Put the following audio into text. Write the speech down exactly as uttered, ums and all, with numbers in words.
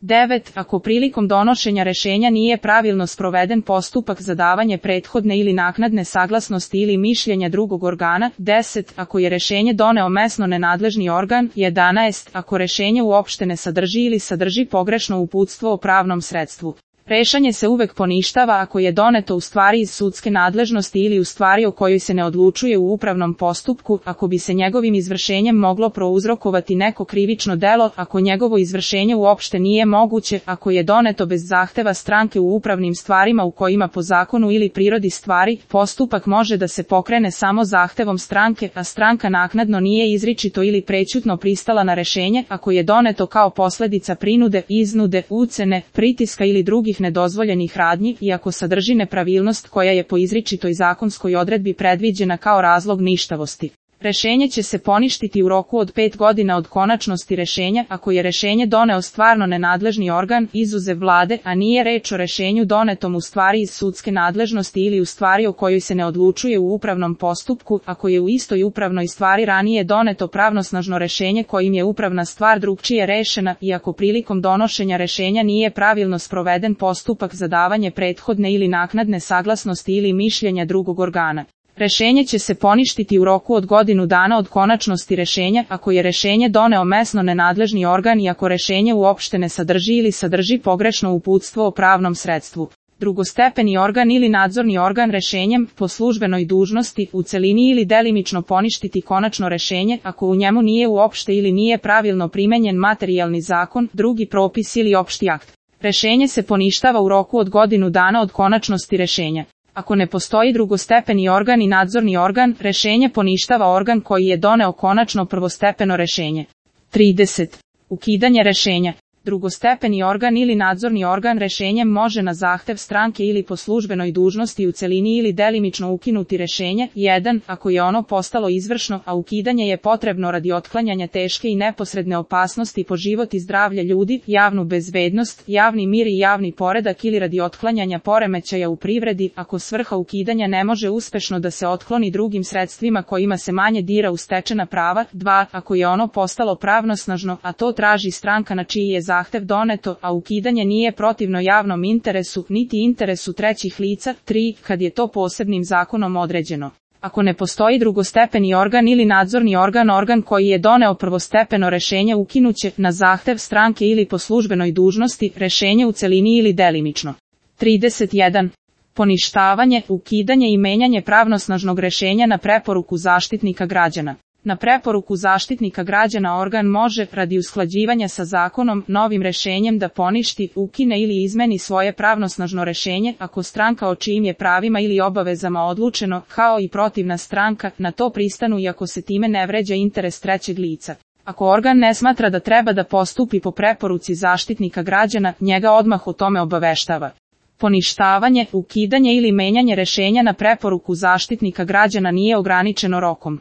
devet. Ako prilikom donošenja rešenja nije pravilno sproveden postupak za davanje prethodne ili naknadne saglasnosti ili mišljenja drugog organa. deset. Ako je rešenje doneo mesno nenadležni organ. jedanaest. Ako rešenje uopšte ne sadrži ili sadrži pogrešno uputstvo o pravnom sredstvu. Rešenje se uvek poništava ako je doneto u stvari iz sudske nadležnosti ili u stvari o kojoj se ne odlučuje u upravnom postupku, ako bi se njegovim izvršenjem moglo prouzrokovati neko krivično delo, ako njegovo izvršenje uopšte nije moguće, ako je doneto bez zahteva stranke u upravnim stvarima u kojima po zakonu ili prirodi stvari, postupak može da se pokrene samo zahtevom stranke, a stranka naknadno nije izričito ili prećutno pristala na rešenje, ako je doneto kao posledica prinude, iznude, ucene, pritiska ili drugih nedozvoljenih radnji i ako sadrži nepravilnost koja je po izričitoj zakonskoj odredbi predviđena kao razlog ništavosti. Rešenje će se poništiti u roku od pet godina od konačnosti rešenja ako je rešenje doneo stvarno nenadležni organ, izuzev vlade, a nije reč o rešenju donetom u stvari iz sudske nadležnosti ili u stvari o kojoj se ne odlučuje u upravnom postupku, ako je u istoj upravnoj stvari ranije doneto pravnosnažno rešenje kojim je upravna stvar drugčije rešena i ako prilikom donošenja rešenja nije pravilno sproveden postupak za davanje prethodne ili naknadne saglasnosti ili mišljenja drugog organa. Rešenje će se poništiti u roku od godinu dana od konačnosti rešenja ako je rešenje doneo mesno nenadležni organ i ako rešenje uopšte ne sadrži ili sadrži pogrešno uputstvo o pravnom sredstvu. Drugostepeni organ ili nadzorni organ rešenjem po službenoj dužnosti u celini ili delimično poništiti konačno rešenje ako u njemu nije uopšte ili nije pravilno primenjen materijalni zakon, drugi propis ili opšti akt. Rešenje se poništava u roku od godinu dana od konačnosti rešenja. Ako ne postoji drugostepeni organ i nadzorni organ, rešenje poništava organ koji je doneo konačno prvostepeno rešenje. trideset. Ukidanje rešenja. Drugostepeni organ ili nadzorni organ rešenjem može na zahtev stranke ili po službenoj dužnosti u celini ili delimično ukinuti rešenje. jedan. Ako je ono postalo izvršno, a ukidanje je potrebno radi otklanjanja teške i neposredne opasnosti po život i zdravlje ljudi, javnu bezbednost, javni mir i javni poredak ili radi otklanjanja poremećaja u privredi, ako svrha ukidanja ne može uspešno da se otkloni drugim sredstvima kojima se manje dira u stečena prava. dva. Ako je ono postalo pravnosnažno, a to traži stranka na čiji je zahtev doneto, a ukidanje nije protivno javnom interesu, niti interesu trećih lica. tri. Kad je to posebnim zakonom određeno. Ako ne postoji drugostepeni organ ili nadzorni organ, organ koji je doneo prvostepeno rešenje ukinuće, na zahtev stranke ili po službenoj dužnosti, rešenje u celini ili delimično. trideset jedan. Poništavanje, ukidanje i menjanje pravnosnažnog rešenja na preporuku Zaštitnika građana. Na preporuku Zaštitnika građana organ može, radi usklađivanja sa zakonom, novim rešenjem da poništi, ukine ili izmeni svoje pravnosnažno rešenje, ako stranka o čijim je pravima ili obavezama odlučeno, kao i protivna stranka, na to pristanu i ako se time ne vređa interes trećeg lica. Ako organ ne smatra da treba da postupi po preporuci Zaštitnika građana, njega odmah o tome obaveštava. Poništavanje, ukidanje ili menjanje rešenja na preporuku Zaštitnika građana nije ograničeno rokom.